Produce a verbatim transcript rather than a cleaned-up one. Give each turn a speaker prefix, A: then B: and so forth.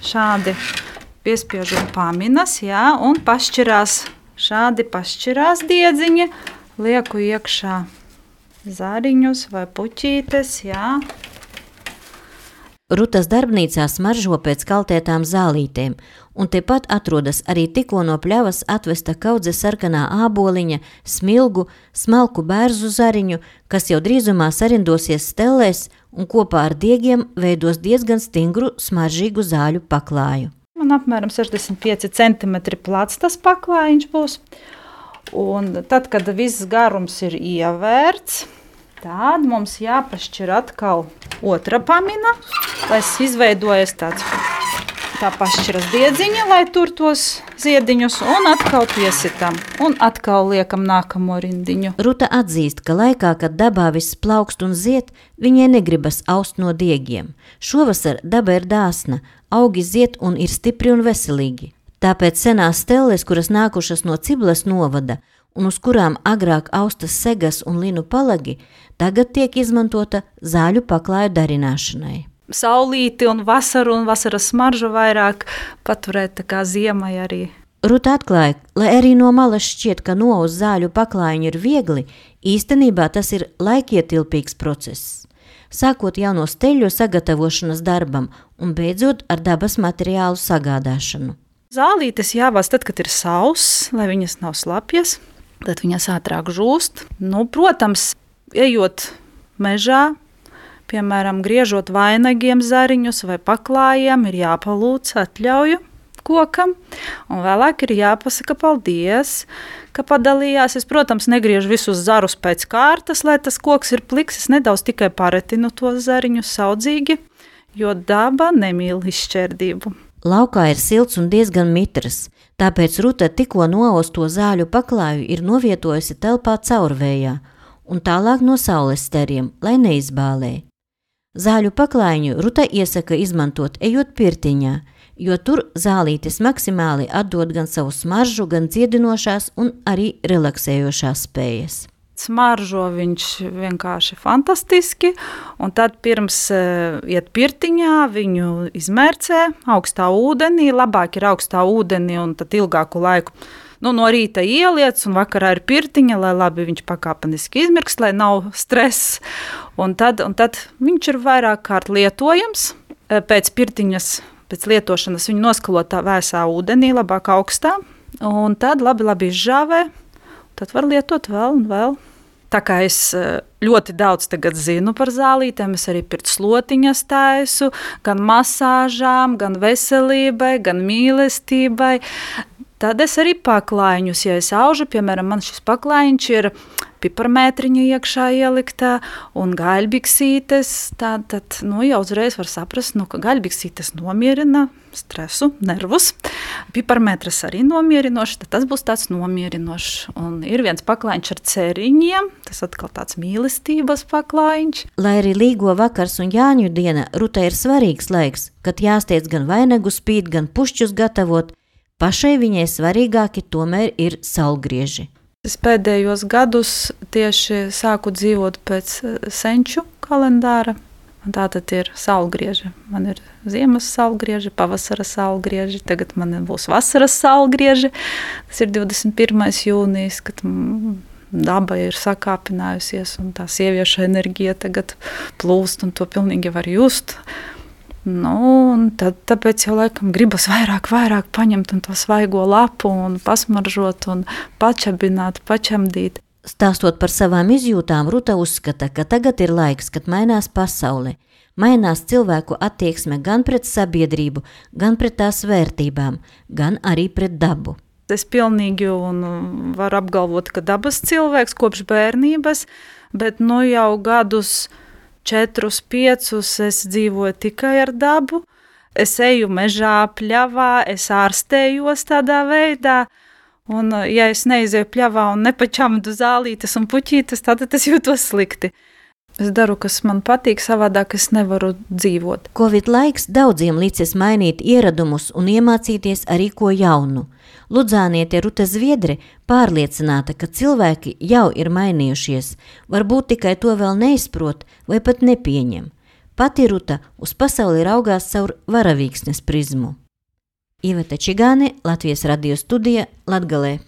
A: šādi piespiežu paminas, jā, un pašķirās, šādi pašķirās diedziņi, lieku iekšā zariņus vai puķītes, jā.
B: Rutas darbnīcā smaržo pēc kaltētām zālītēm, un tepat atrodas arī tikko no pļavas atvesta kaudze sarkanā āboliņa, smilgu, smalku bērzu zariņu, kas jau drīzumā sarindosies stellēs un kopā ar diegiem veidos diezgan stingru smaržīgu zāļu paklāju.
A: Man apmēram sešdesmit pieci centimetri plats tas paklājiņš būs, un tad, kad viss garums ir ievērts, tad mums jāpašķir atkal otra pamina, lai izveidojas tāds tā pašķiras diedziņa, lai tur tos ziediņus, un atkal piesitam, un atkal liekam nākamo rindiņu.
B: Ruta atzīst, ka laikā, kad dabā viss plaukst un ziet, viņai negribas aust no diegiem. Šovasar daba ir dāsna, augi ziet un ir stipri un veselīgi. Tāpēc senās stelles, kuras nākušas no Ciblas novada, un uz kurām agrāk austas segas un linu palagi, tagad tiek izmantota zāļu paklāju darināšanai.
A: Saulīti un vasaru un vasaras smaržu vairāk paturēt tā kā ziemai arī.
B: Ruta atklāja, lai arī no malas šķiet, ka nouz zāļu paklājiņu ir viegli, īstenībā tas ir laikietilpīgs process. Sākot jau no steļu sagatavošanas darbam un beidzot ar dabas materiālu sagādāšanu.
A: Zālītes jāvāc tad, kad ir sauss, lai viņas nav slapjas, tad viņas ātrāk žūst. Nu, protams, ejot mežā, piemēram, griežot vainagiem zariņus vai paklājiem, ir jāpalūdz atļauju kokam, un vēlāk ir jāpasaka paldies, ka padalījās. Es, protams, negriežu visus zarus pēc kārtas, lai tas koks ir pliks, es nedaudz tikai paretinu tos zariņus saudzīgi, jo daba nemīl izšķērdību.
B: Laukā ir silts un diezgan mitrs, tāpēc Ruta tikko noosto zāļu paklāju ir novietojusi telpā caurvējā un tālāk no saules steriem, lai neizbālē. Zāļu paklājiņu Ruta iesaka izmantot ejot pirtiņā, jo tur zālītes maksimāli atdod gan savu smaržu, gan dziedinošās un arī relaksējošās spējas.
A: Smaržo viņš vienkārši fantastiski, un tad pirms uh, iet pirtiņā viņu izmērcē augstā ūdenī, labāk ir augstā ūdenī un tad ilgāku laiku. Nu, no rīta ieliec un vakarā ir pirtiņa, lai labi viņš pakāpeniski izmirkst, lai nav stress. Un tad, un tad viņš ir vairāk kārt lietojams. Pēc pirtiņas, pēc lietošanas viņu noskalotā vēsā ūdenī, labāk augstā, un tad labi, labi izžāvē. Tad var lietot vēl un vēl. Tā kā es ļoti daudz tagad zinu par zālītēm, es arī pirts slotiņas taisu, gan masāžām, gan veselībai, gan mīlestībai. Tad es arī paklājiņus, ja es aužu, piemēram, man šis paklājiņš ir piparmētriņa iekšā ieliktā un gaļbiksītes, tad, tad nu, jau uzreiz var saprast, nu, ka gaļbiksītes nomierina stresu, nervus. Piparmētras arī nomierinošs, tad tas būs tāds nomierinošs. Un ir viens paklājiņš ar ceriņiem, tas atkal tāds mīlestības paklājiņš.
B: Lai arī līgo vakars un Jāņu diena, Rutai ir svarīgs laiks, kad jāstiec gan vainagu spīt, gan pušķus gatavot, pašai viņai svarīgāki tomēr ir saulgrieži.
A: Es pēdējos gadus tieši sāku dzīvot pēc senču kalendāra. Tā tad ir saulgrieži. Man ir ziemas saulgrieži, pavasara saulgrieži, tagad man būs vasaras saulgrieži. Tas ir divdesmit pirmais jūnijas, kad daba ir sakāpinājusies un tā sievieša enerģija tagad plūst un to pilnīgi var just. Nu, un tad, tāpēc jau laikam gribas vairāk, vairāk paņemt un to svaigo lapu un pasmaržot un pačabināt, pačamdīt.
B: Stāstot par savām izjūtām, Ruta uzskata, ka tagad ir laiks, kad mainās pasaule. Mainās cilvēku attieksme gan pret sabiedrību, gan pret tās vērtībām, gan arī pret dabu.
A: Es pilnīgi un varu apgalvot, ka dabas cilvēks kopš bērnības, bet nu jau gadus četrus, piecus es dzīvoju tikai ar dabu. Es eju mežā, pļavā, es ārstējos tādā veidā. Un, ja es neizēju pļavā un nepačamdu zālītes un puķītes, tad es jūtos slikti. Es daru, kas man patīk, savādāk es nevaru dzīvot.
B: Covid laiks daudziem licis mainīt ieradumus un iemācīties arī ko jaunu. Ludzāniete Ruta Zviedre pārliecināta, ka cilvēki jau ir mainījušies, varbūt tikai to vēl neizprot vai pat nepieņem. Pati Ruta uz pasauli raugās caur varavīksnes prizmu. Iveta Čigāne, Latvijas radio studija, Latgalē.